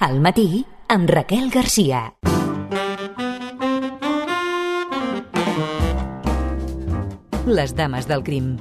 Al matí, amb Raquel Garcia. Les dames del crim.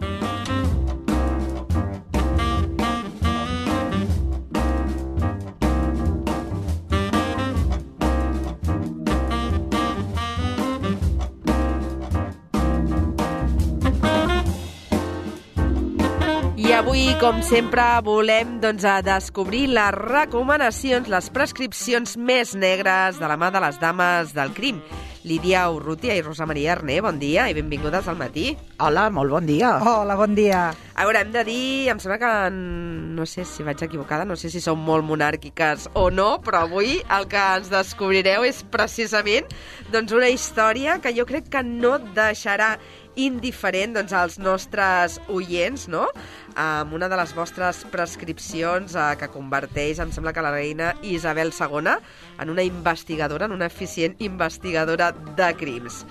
I avui, com sempre, volem descobrir les recomanacions, les prescripcions més negres de la mà de les dames del crim. Lídia Urrutia i Rosa Maria Arné, bon dia i benvingudes al matí. Hola, molt bon dia. Hola, bon dia. A veure, hem de dir, em sembla que, no sé si vaig equivocada, no sé si som molt monàrquiques o no, però avui el que ens descobrireu és precisament una història que jo crec que no deixarà indiferent als nostres oients, no? Amb una de les vostres prescripcions que converteix, em sembla que la reina Isabel II, en una investigadora, en una eficient investigadora de crims.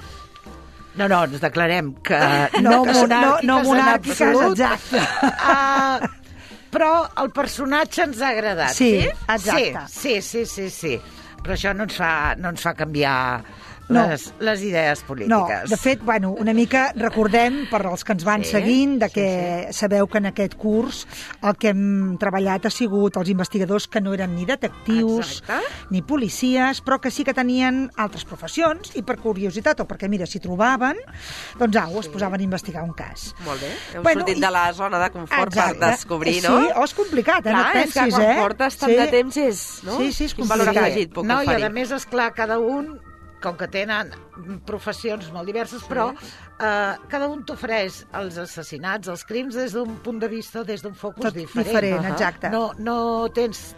No, ens declarem que no monàrquiques en absolut. Exacte. Però el personatge ens ha agradat. Sí, exacte. Sí. Però això no ens fa canviar les idees polítiques. No, de fet, una mica recordem, per als que ens van seguint, que sabeu que en aquest curs el que hem treballat ha sigut els investigadors que no eren ni detectius, ni policies, però que sí que tenien altres professions, i per curiositat, o perquè, mira, si trobaven, es posaven a investigar un cas. Molt bé. Heu sortit de la zona de confort per descobrir, no? Sí, és complicat, no et pensis, és que quan portes tant de temps és, no? Sí, és complicat. Valor afegit, puc oferir. I a més, esclar, cada un, com que tenen professions molt diverses, però cada un t'ofereix els assassinats, els crims, des d'un punt de vista, des d'un focus diferent. Exacte. No tens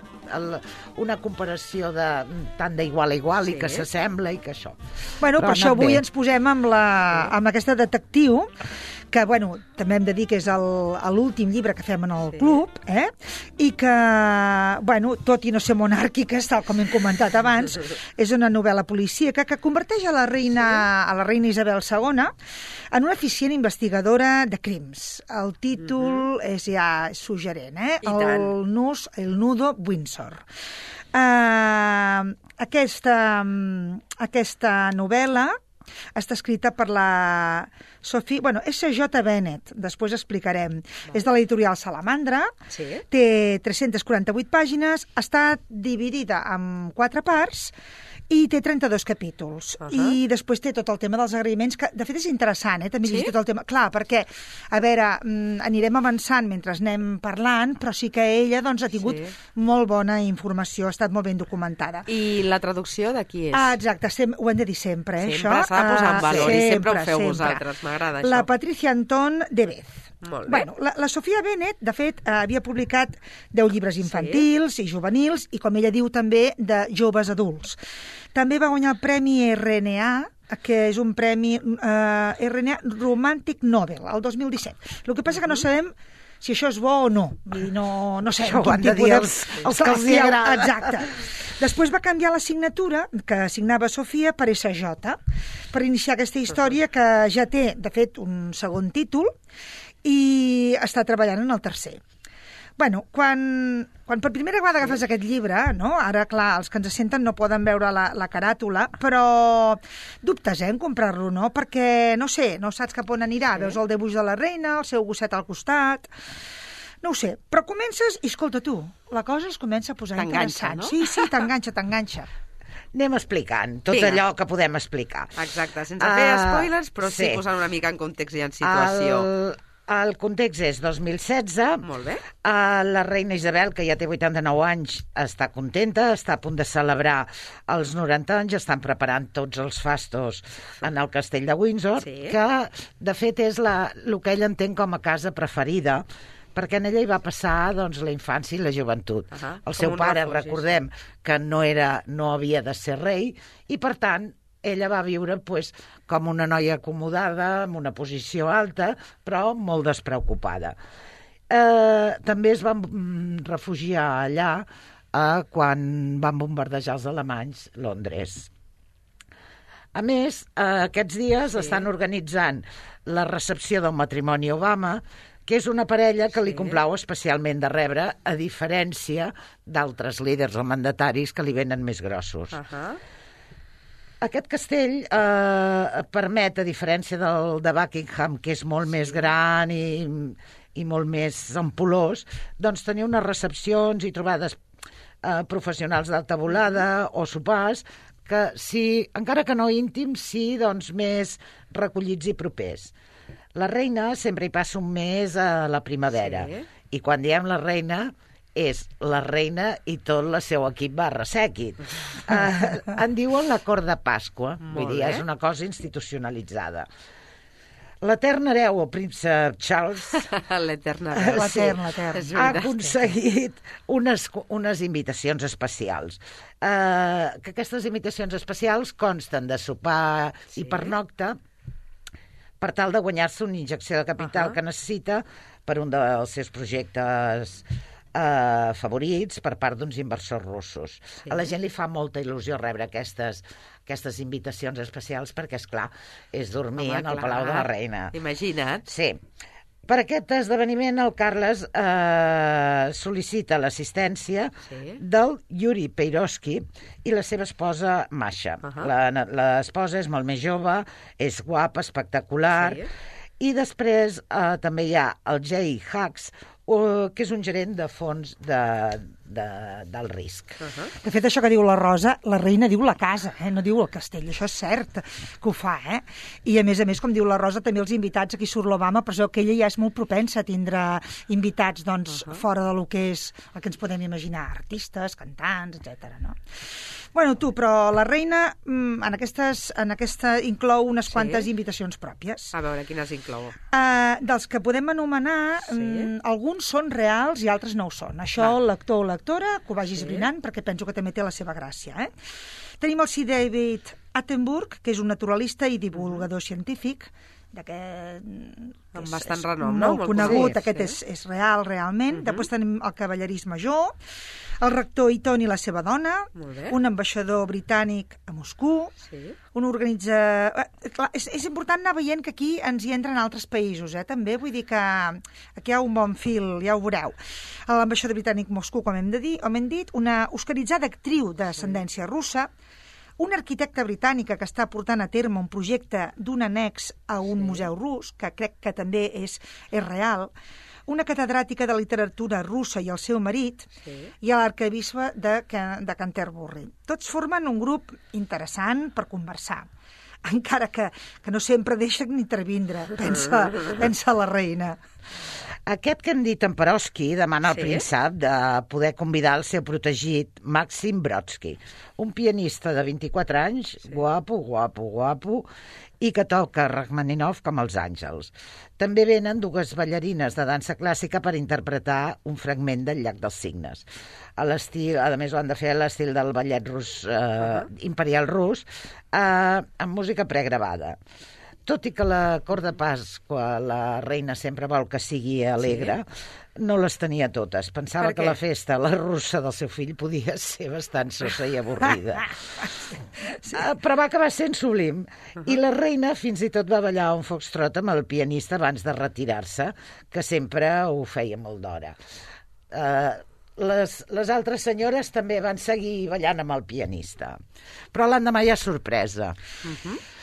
una comparació tant d'igual a igual i que s'assembla i que això. Per això avui ens posem amb aquesta detectiu, que, també hem de dir que és l'últim llibre que fem en el club, i que, tot i no ser monàrquiques, tal com hem comentat abans, és una novel·la policíaca que converteix a la reina Isabel II en una eficient investigadora de crims. El títol és ja suggerent, El nudo Windsor. Aquesta novel·la està escrita per la Sophie... S.J. Bennett, després explicarem. És de l'editorial Salamandra, té 348 pàgines, està dividida en 4 parts i té 32 capítols. I després té tot el tema dels agraïments, que de fet és interessant, també llegir tot el tema. Clar, perquè, a veure, anirem avançant mentre anem parlant, però sí que ella ha tingut molt bona informació, ha estat molt ben documentada. I la traducció de qui és? Exacte, ho hem de dir sempre, això. Sempre s'ha de posar en valor i sempre ho feu vosaltres, m'agrada això. La Patricia Anton de Bez. Molt bé. La Sofia Bennett, de fet, havia publicat 10 llibres infantils i juvenils, i com ella diu també, de joves adults. També va guanyar el Premi RNA, que és un premi RNA Romantic Novel, el 2017. El que passa que no sabem si això és bo o no. No sé. Això ho han de dir els que els agrada. Exacte. Després va canviar la signatura, que signava Sofia, per SJ, per iniciar aquesta història que ja té, de fet, un segon títol, i està treballant en el tercer. Quan per primera vegada agafes aquest llibre, ara, clar, els que ens senten no poden veure la caràtula, però dubtes, en comprar-lo, no? Perquè, no sé, no saps cap on anirà. Veus el dibuix de la reina, el seu gosset al costat... No ho sé, però comences i, escolta, tu, la cosa es comença a posar interessant. No? Sí, t'enganxa. Anem explicant tot allò que podem explicar. Exacte, sense fer spoilers, però sí posant una mica en context i en situació. El context és 2016. Molt bé. La reina Isabel, que ja té 89 anys, està contenta, està a punt de celebrar els 90 anys, estan preparant tots els fastos en el castell de Windsor, que de fet és el que ell entén com a casa preferida, perquè en ella hi va passar la infància i la joventut. El seu pare, recordem, que no havia de ser rei, i per tant ella va viure com una noia acomodada, amb una posició alta, però molt despreocupada. També es van refugiar allà quan van bombardejar els alemanys Londres. A més, aquests dies estan organitzant la recepció del matrimoni Obama, que és una parella que li complau especialment de rebre, a diferència d'altres líders o mandataris que li venen més grossos. Aquest castell permet, a diferència del de Buckingham, que és molt més gran i molt més ampulós, doncs tenir unes recepcions i trobades professionals d'alta volada o sopars que, encara que no íntims, sí, doncs més recollits i propers. La reina sempre hi passa un mes a la primavera, i quan diem la reina és la reina i tot el seu equip _sèquit. En diuen la cort de Pasqua, vull dir, és una cosa institucionalitzada. L'etern hereu, el príncep Charles, ha aconseguit unes invitacions especials. Que aquestes invitacions especials consten de sopar i pernocta per tal de guanyar-se una injecció de capital que necessita per un dels seus projectes favorits per part d'uns inversors russos. A la gent li fa molta il·lusió rebre aquestes invitacions especials perquè, esclar, és dormir en el Palau de la Reina. Imagina't. Sí. Per aquest esdeveniment, el Carles sol·licita l'assistència del Yuri Peirovsky i la seva esposa Masha. L'esposa és molt més jove, és guapa, espectacular, i després també hi ha el Jay Hacks, que és un gerent de fons del risc. De fet, això que diu la Rosa, la reina diu la casa, no diu el castell, això és cert que ho fa, I a més, com diu la Rosa, també els invitats, aquí surt l'Obama, però que ella ja és molt propensa a tindre invitats fora del que és el que ens podem imaginar, artistes, cantants, etc. No? Bueno, però la reina en aquesta inclou unes quantes invitacions pròpies. A veure, quines inclou? Dels que podem anomenar, alguns són reals i altres no ho són. Això, l'actor o l'actora, que ho vagi esbrinant, perquè penso que també té la seva gràcia. Tenim el Sir David Attenborough, que és un naturalista i divulgador científic, amb bastant renom, no? Molt conegut, aquest és real, realment. Després tenim el cavallerís major, el rector Eaton i la seva dona, un ambaixador britànic a Moscou, un és important anar veient que aquí ens hi entren altres països, també, vull dir que aquí hi ha un bon fil, ja ho veureu. L'ambaixador britànic a Moscou, com hem dit, una oscaritzada actriu d'ascendència russa, una arquitecta britànica que està portant a terme un projecte d'un annex a un museu rus, que crec que també és real, una catedràtica de literatura russa i el seu marit, i l'arquebisbe de Canterbury. Tots formen un grup interessant per conversar, encara que no sempre deixen ni intervindre, pensa la reina. Aquest que hem dit en Perovsky demana al príncep de poder convidar el seu protegit Maxim Brodsky, un pianista de 24 anys, guapo, i que toca Rachmaninoff com els àngels. També venen dues ballarines de dansa clàssica per interpretar un fragment del Llac dels Cignes. A més, ho han de fer a l'estil del ballet rus, imperial rus, amb música pregravada. Tot i que la cort de Pasqua, la reina sempre vol que sigui alegre, no les tenia totes. Pensava que la festa, la russa del seu fill, podia ser bastant sosa i avorrida. Però va acabar sent sublim. I la reina fins i tot va ballar un foxtrot amb el pianista abans de retirar-se, que sempre ho feia molt d'hora. Les altres senyores també van seguir ballant amb el pianista. Però l'endemà hi ha sorpresa.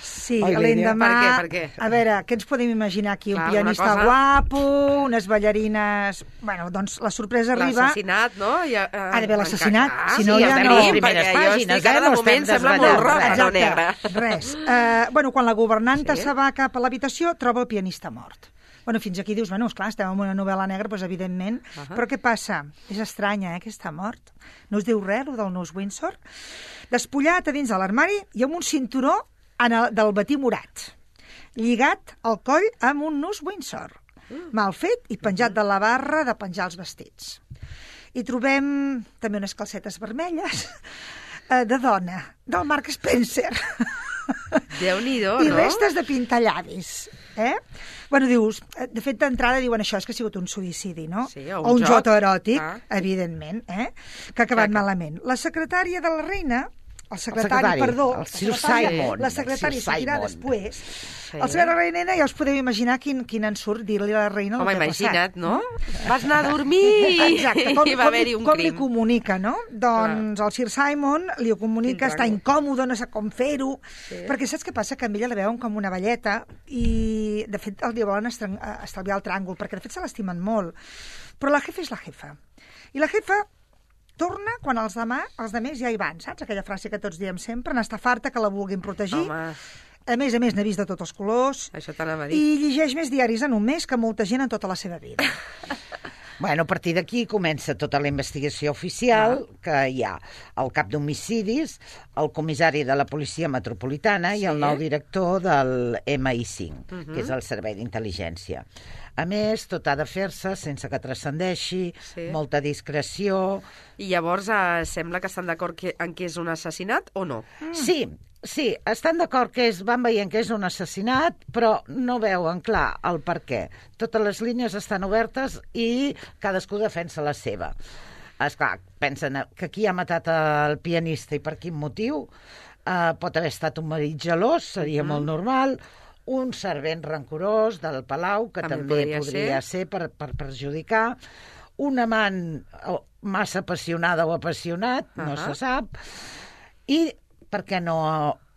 Sí, l'endemà... Per què? A veure, què ens podem imaginar aquí? Un pianista guapo, unes ballarines... Bueno, doncs la sorpresa arriba... L'assassinat, no? Ha d'haver l'assassinat, si no ja no... les primeres pàgines, de moment sembla molt roja, no negra. Res. Quan la governanta se va cap a l'habitació, troba el pianista mort. Fins aquí dius, esclar, estem en una novel·la negra, doncs evidentment, però què passa? És estranya, que està mort. No us diu res, el del nus Windsor? Despullat a dins de l'armari i amb un cinturó del batí morat, lligat al coll amb un nus Windsor, mal fet i penjat de la barra de penjar els vestits. I trobem també unes calcetes vermelles de dona, del Mark Spencer. Déu-n'hi-do, no? I restes de pintallavis, dius, de fet, d'entrada diuen això, és que ha sigut un suïcidi, no? Sí, o un joc eròtic, evidentment, que ha acabat malament. La secretària de la reina el secretari, perdó. El Sir Simon. La secretària sortirà després. Sí. El secretari de la reina ja us podeu imaginar quin ensurt dir-li a la reina el que ha passat. Imagina't, no? Vas anar a dormir Exacte, i va haver-hi un com li crim. comunica, no? Doncs el Sir Simon li ho comunica, està incòmode, no sap com fer-ho, perquè saps què passa? Que amb ella la veuen com una velleta i, de fet, li volen estalviar el tràngol, perquè, de fet, se l'estimen molt. Però la jefa és la jefa. I la jefa torna quan els demés ja hi van, saps? Aquella frase que tots diem sempre, n'està farta que la vulguin protegir. Home. A més, n'ha vist de tots els colors. Això t'anava a dir. I llegeix més diaris en un mes que molta gent en tota la seva vida. Bueno, a partir d'aquí comença tota la investigació oficial, que hi ha el cap d'homicidis, el comissari de la Policia Metropolitana i el nou director del MI5, que és el Servei d'Intel·ligència. A més, tot ha de fer-se sense que transcendeixi, molta discreció... I llavors sembla que estan d'acord en que és un assassinat o no? Sí, estan d'acord que van veient que és un assassinat, però no veuen clar el per què. Totes les línies estan obertes i cadascú defensa la seva. Esclar, pensen que qui ha matat el pianista i per quin motiu, pot haver estat un marit gelós, seria molt normal, un servent rancorós del Palau, que també podria ser per perjudicar, un amant massa apassionada o apassionat, no se sap, i per què no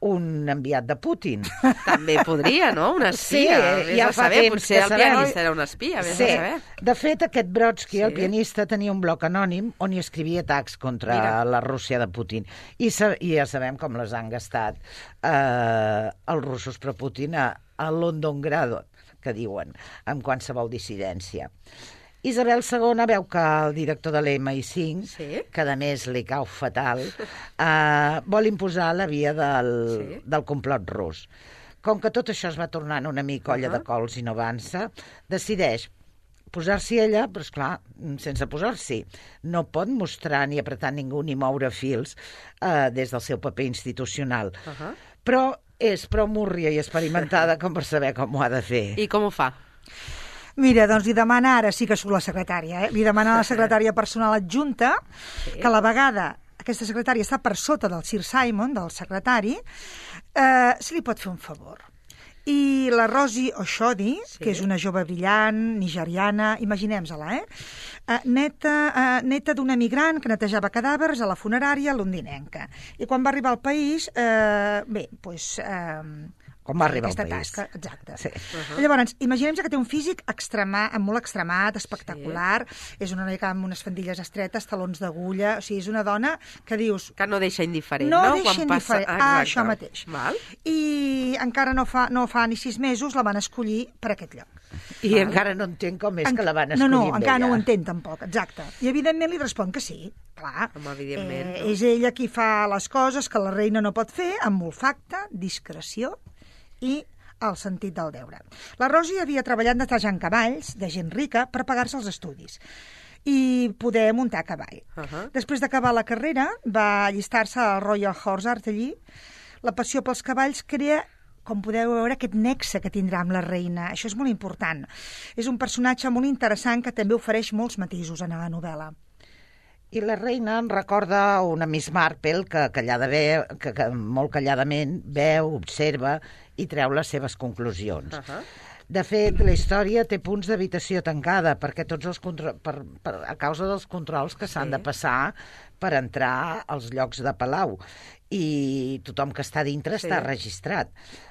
un enviat de Putin? També podria, no? Un espia. Sí, ja fa temps potser el pianista era un espia, vés a saber. De fet, aquest Brodsky, el pianista, tenia un bloc anònim on hi escrivia atacs contra la Rússia de Putin. I ja sabem com les han gastat els russos per Putin a Londongrad, que diuen, amb qualsevol dissidència. Isabel II veu que el director de l'MI5, que a més li cau fatal, vol imposar la via del complot rus. Com que tot això es va tornant una mica olla de cols i no avança, decideix posar-s'hi ella, però esclar, sense posar-s'hi. No pot mostrar ni apretar ningú ni moure fils des del seu paper institucional. Però és prou múrria i experimentada com per saber com ho ha de fer. I com ho fa? Mira, doncs li demana, ara sí que surt la secretària, li demana a la secretària personal adjunta que a la vegada aquesta secretària està per sota del Sir Simon, del secretari, se li pot fer un favor. I la Rosie Oshodi, que és una jove brillant, nigeriana, imaginem-se-la, neta d'una migrant que netejava cadàvers a la funerària londinenca. I quan va arribar al país, com va arribar al país. Tasca, exacte. Sí. Llavors, imaginem que té un físic molt extremat, espectacular, és una noia amb unes faldilles estretes, talons d'agulla, o sigui, és una dona que dius... Que no deixa indiferent, no? No deixa indiferent, això mateix. Val. I encara no fa ni 6 mesos la van escollir per aquest lloc. I encara no entenc com és que la van escollir No, encara no ho entén tampoc, exacte. I evidentment li respon que sí, clar. Evidentment. És ella qui fa les coses que la reina no pot fer, amb olfacte, discreció i el sentit del deure. La Rosie havia treballat netejant cavalls de gent rica per pagar-se els estudis i poder muntar a cavall. Després d'acabar la carrera, va allistar-se al Royal Horse Artillery. La passió pels cavalls crea, com podeu veure, aquest nexe que tindrà amb la reina. Això és molt important. És un personatge molt interessant que també ofereix molts matisos en la novel·la. I la reina em recorda una Miss Marple que molt calladament veu, observa i treu les seves conclusions. De fet, la història té punts d'habitació tancada perquè a causa dels controls que s'han de passar per entrar als llocs de palau. I tothom que està dintre està registrat.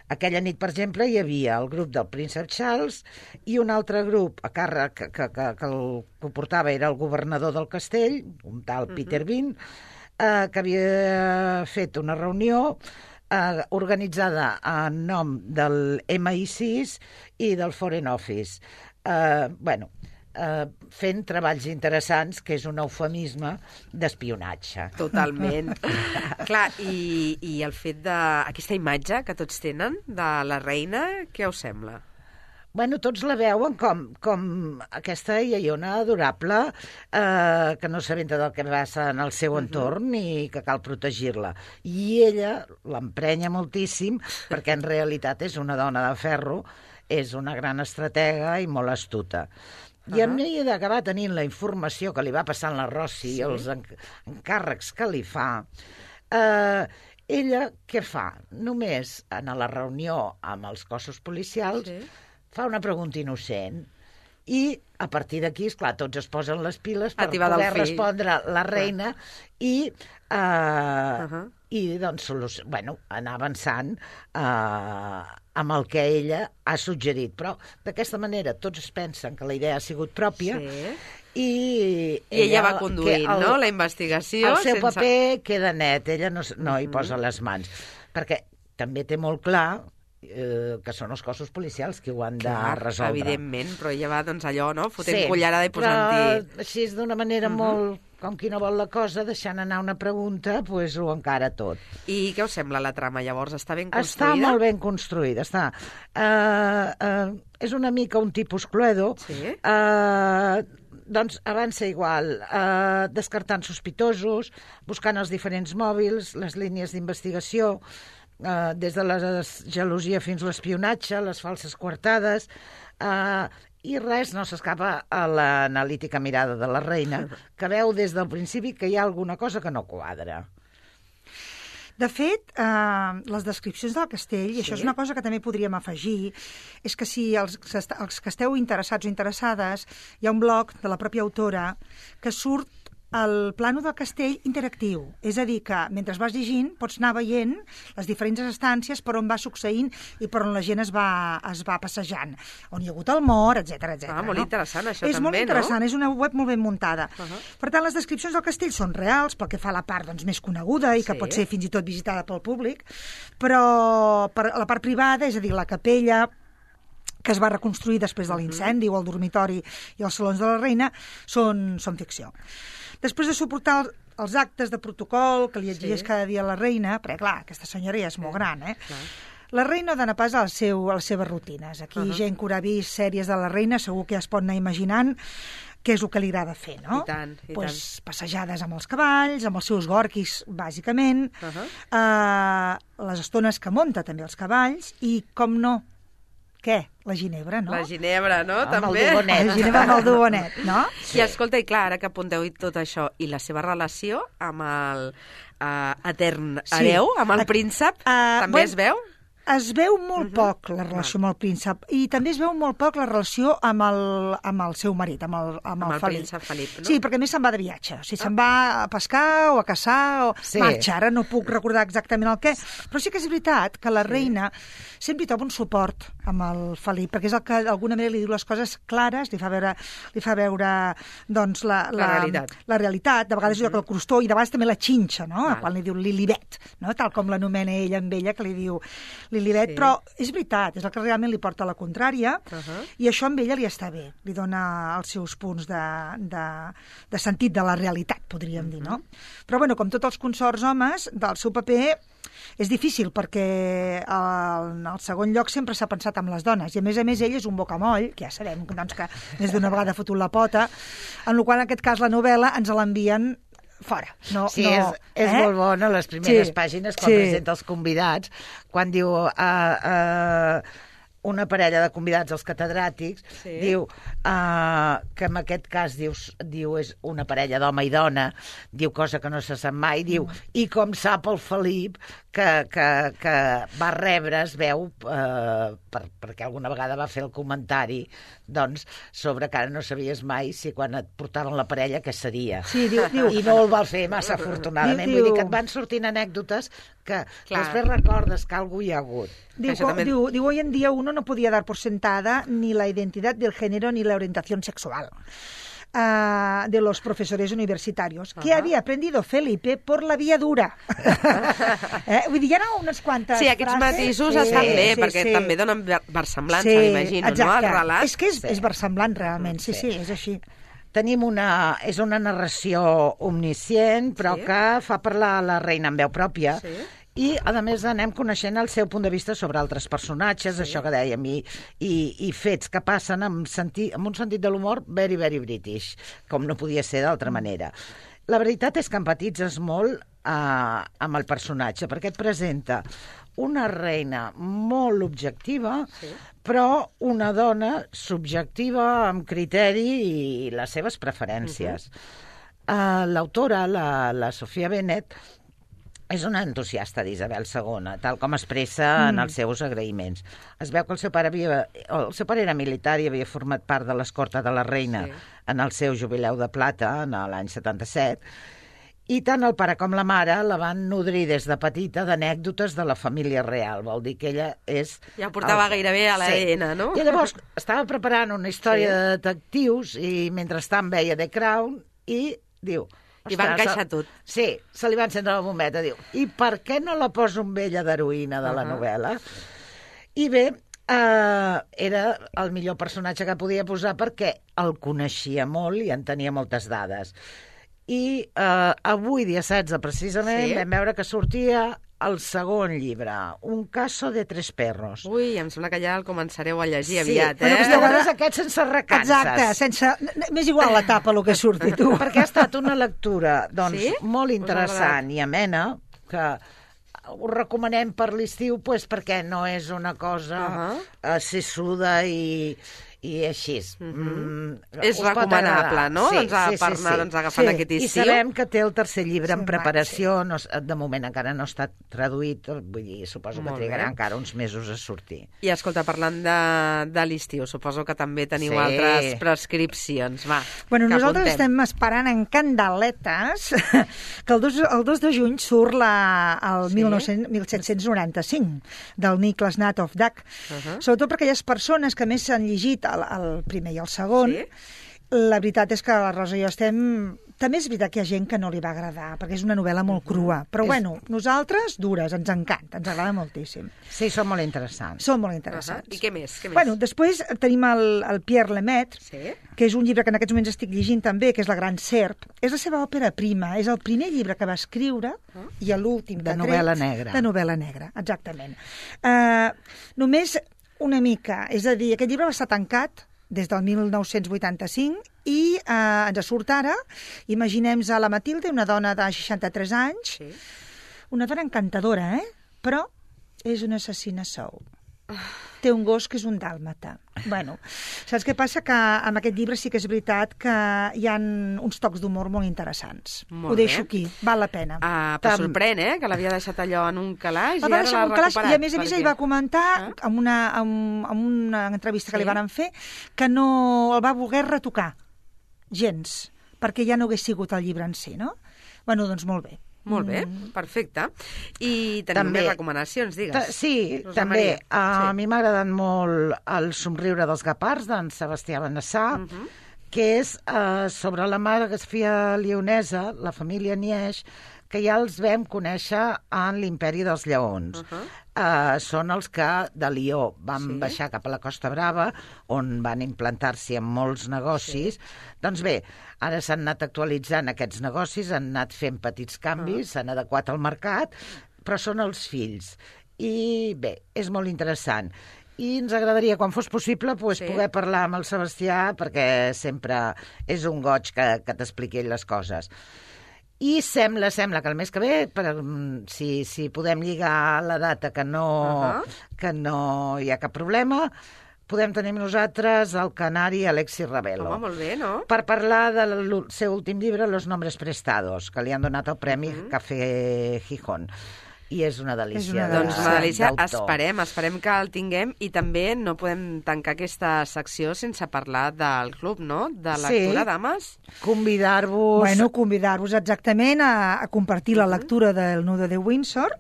Aquella nit, per exemple, hi havia el grup del príncep Charles i un altre grup a càrrec que el que ho portava era el governador del castell, un tal Peter Bean, que havia fet una reunió organitzada en nom del MI6 i del Foreign Office. Fent treballs interessants, que és un eufemisme d'espionatge. Totalment. Clar, i el fet d'aquesta imatge que tots tenen de la reina, què us sembla? Bueno, tots la veuen com aquesta iaiona adorable que no s'aventa del que passa en el seu entorn i que cal protegir-la. I ella l'emprenya moltíssim perquè en realitat és una dona de ferro, és una gran estratega i molt astuta. I a mesura d'acabar tenint la informació que li va passant la Rosie i els encàrrecs que li fa, ella què fa? Només en la reunió amb els cossos policials fa una pregunta innocent i a partir d'aquí, esclar, tots es posen les piles per poder respondre la reina i doncs, anar avançant amb el que ella ha suggerit. Però d'aquesta manera tots es pensen que la idea ha sigut pròpia i ella va conduint, no?, la investigació. El seu paper queda net, ella no hi posa les mans, perquè també té molt clar que són els cossos policials qui ho han de resoldre. Evidentment, però ella va, doncs, allò, no?, fotent cullerada i posant-hi... Però així és d'una manera molt, com qui no vol la cosa, deixant anar una pregunta, doncs ho encara tot. I què us sembla la trama, llavors? Està ben construïda? Està molt ben construïda, està. És una mica un tipus Cluedo. Sí. Doncs avança igual, descartant sospitosos, buscant els diferents mòbils, les línies d'investigació, des de la gelosia fins a l'espionatge, les falses coartades, i res no s'escapa a l'analítica mirada de la reina, que veu des del principi que hi ha alguna cosa que no quadra. De fet, les descripcions del castell, i això és una cosa que també podríem afegir, és que si els que esteu interessats o interessades, hi ha un blog de la pròpia autora que surt el plano del castell interactiu. És a dir, que mentre vas llegint pots anar veient les diferents estàncies per on va succeint i per on la gent es va passejant. On hi ha hagut el mort, etc. Molt interessant, això també, no? És molt interessant, és una web molt ben muntada. Per tant, les descripcions del castell són reals, pel que fa a la part més coneguda i que pot ser fins i tot visitada pel públic, però per la part privada, és a dir, la capella que es va reconstruir després de l'incendi, o el dormitori i els salons de la reina, són ficció. Després de suportar els actes de protocol que li exigeix cada dia la reina, perquè, clar, aquesta senyora ja és molt gran, la reina dona pas a les seves rutines. Aquí gent que haurà vist sèries de la reina segur que ja es pot anar imaginant què és el que li agrada fer, no? I tant. Passejades amb els cavalls, amb els seus gorquis, bàsicament, les estones que munta també els cavalls, i, com no, què? La ginebra, no? La ginebra, no? També. El dubonet. La ginebra amb el dubonet, no? I escolta, i clar, ara que apunteu tot això, i la seva relació amb el etern hereu, amb el príncep, també es veu? Es veu molt poc la relació amb el príncep, i també es veu molt poc la relació amb el seu marit, amb el Felip. Príncep Felip, no? Sí, perquè a més se'n va de viatge, o sigui, se'n va a pescar o a caçar, o marxa, ara no puc recordar exactament el què, però sí que és veritat que la reina sempre hi troba un suport amb el Felip, perquè és el que d'alguna manera li diu les coses clares, li fa veure doncs, la realitat, de vegades diu que el crostó, i de vegades també la xinxa, no? Quan li diu Lilibet, no? Tal com l'anomena ella amb ella, que li diu Lilibet, però és veritat, és el que realment li porta la contrària, i això amb ella li està bé, li dona els seus punts de sentit de la realitat, podríem dir, no? Però, bueno, com tots els consorts homes, del seu paper és difícil, perquè en el segon lloc sempre s'ha pensat en les dones, i a més ell és un bocamoll, que ja sabem doncs, que més d'una vegada ha fotut la pota, en la qual en aquest cas la novel·la ens l'envien fora. És molt bona, les primeres pàgines, quan presenta els convidats, quan diu una parella de convidats, els catedràtics, diu que en aquest cas diu és una parella d'home i dona, diu cosa que no se sap mai, diu, i com sap el Felip que va rebre, es veu, perquè alguna vegada va fer el comentari, doncs, sobre que ara no sabies mai si quan et portaven la parella què seria. Sí, diu. I no el va fer massa afortunadament. Vull dir que et van sortint anècdotes que després recordes que algú hi ha hagut. Diu, hoy en día uno no podía dar por sentada ni la identidad del género ni la orientación sexual de los profesores universitarios, que había aprendido Felipe por la vía dura. Vull dir, hi ha unes quantes frases. Sí, aquests matisos estan bé, perquè també donen versemblança, m'imagino, no?, al relat. És que és versemblant, realment, sí, és així. Tenim és una narració omniscient, però que fa parlar la reina en veu pròpia, i, a més, anem coneixent el seu punt de vista sobre altres personatges, això que dèiem, i fets que passen amb un sentit de l'humor very, very British, com no podia ser d'altra manera. La veritat és que empatitzes molt amb el personatge, perquè et presenta una reina molt objectiva, però una dona subjectiva, amb criteri i les seves preferències. L'autora, la Sofia Bennett, És una entusiasta d'Isabel II, tal com expressa en els seus agraïments. Es veu que el seu pare era militar i havia format part de l'escorta de la reina en el seu jubileu de plata, en l'any 77, i tant el pare com la mare la van nodrir des de petita d'anècdotes de la família real. Vol dir que ella és... Ja portava gairebé a l'ADN, no? I llavors estava preparant una història de detectius i mentrestant veia The Crown i diu... I va encaixar tot. Sí, se li va encendre la bombeta. Diu, i per què no la poso amb ella d'heroïna de la novel·la? I bé, era el millor personatge que podia posar perquè el coneixia molt i en tenia moltes dades. I avui, dia 16, precisament, vam veure que sortia el segon llibre, Un caso de tres perros. Ui, em sembla que ja el començareu a llegir aviat, Però llavors aquest sense recances. Exacte, m'és igual la tapa el que surti, tu. Perquè ha estat una lectura, doncs, molt interessant i amena, que ho recomanem per l'estiu, perquè no és una cosa sessuda i així. És recomanable, no? Per anar agafant aquest estiu. I sabem que té el tercer llibre en preparació, de moment encara no està traduït, vull dir, suposo que trigarà encara uns mesos a sortir. I escolta, parlant de l'estiu, suposo que també teniu altres prescripcions. Va, bueno, nosaltres estem esperant en candeletes que el 2 de juny surt el 1795 del Nicholas Nat of Duck, sobretot per aquelles persones que més s'han llegit el primer i el segon. La veritat és que la Rosa i jo estem... També és veritat que hi ha gent que no li va agradar, perquè és una novel·la molt crua. Però bueno, nosaltres, dures, ens encanta, ens agrada moltíssim. Sí, són molt interessants. Són molt interessants. I què més? Bueno, després tenim el Pierre Lemaitre, que és un llibre que en aquests moments estic llegint també, que és La gran serp. És la seva òpera prima, és el primer llibre que va escriure i l'últim que ha tret... De novel·la negra. De novel·la negra, exactament. Només una mica, és a dir, aquest llibre va estar tancat des del 1985 i ens surt ara, imaginem-nos a la Matilde, una dona de 63 anys, una dona encantadora, però és una assassina sou. Té un gos que és un dàlmata. Bueno, saps què passa? Que amb aquest llibre sí que és veritat que hi ha uns tocs d'humor molt interessants. Ho deixo aquí, val la pena. Però sorprèn, que l'havia deixat allò en un calaix i ara l'ha recuperat. I a més ell va comentar en una entrevista que li van fer que no el va voler retocar gens, perquè ja no hagués sigut el llibre en si, no? Bueno, doncs molt bé. Molt bé, perfecte. I tenim més recomanacions, digues. Sí, també. A mi m'ha agradat molt El somriure dels guepards, d'en Sebastià Benassà, que és sobre la margrafia lleonesa, la família Nieix, que ja els vam conèixer en l'Imperi dels Lleons. Són els que de Lió van baixar cap a la Costa Brava, on van implantar-s'hi en molts negocis. Doncs bé, ara s'han anat actualitzant aquests negocis, han anat fent petits canvis, s'han adequat al mercat, però són els fills. I bé, és molt interessant. I ens agradaria, quan fos possible, poder parlar amb el Sebastià, perquè sempre és un goig que t'expliqui ell les coses. I sembla que el mes que ve, si podem lligar la data que no hi ha cap problema, podem tenir nosaltres el canari Alexis Ravelo. Home, molt bé, no? Per parlar del seu últim llibre, Los nombres prestados, que li han donat el Premi Café Gijón. I és una delícia. Doncs una delícia. Esperem que el tinguem i també no podem tancar aquesta secció sense parlar del club, no? De lectura, dames. Convidar-vos... Bueno, convidar-vos exactament a compartir la lectura del Nudo de Windsor.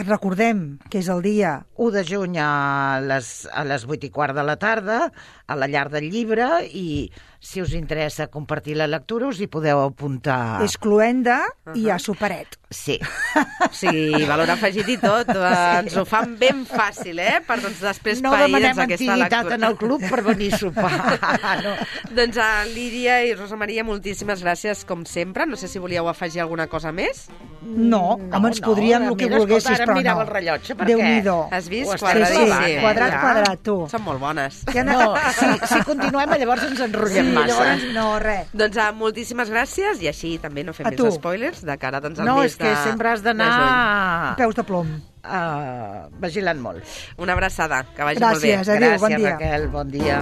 Recordem que és el dia 1 de juny a les 8:15 de la tarda, a la Llar del Llibre, i si us interessa compartir la lectura us hi podeu apuntar. És cluenda i a superet. Sí. Sí, valor afegit i tot. Ens ho fan ben fàcil, per després pair-nos aquesta lectura. No demanem antiguitat en el club per venir a sopar. No. Doncs a Lídia i Rosa Maria, moltíssimes gràcies, com sempre. No sé si volíeu afegir alguna cosa més. No, home, ens podríem el que volguessis, però no. Ara mirava el rellotge, perquè... Déu-n'hi-do. Has vist? Sí, quadrat, tu. Són molt bones. No, si continuem, llavors ens enrotllem massa. Llavors, no, res. Doncs moltíssimes gràcies, i així també no fem més spoilers de cara al mes de... No, és que sempre has d'anar... Peus de plom. Vigilant molt. Una abraçada, que vagi molt bé. Gràcies, adéu, bon dia. Gràcies, Raquel, bon dia.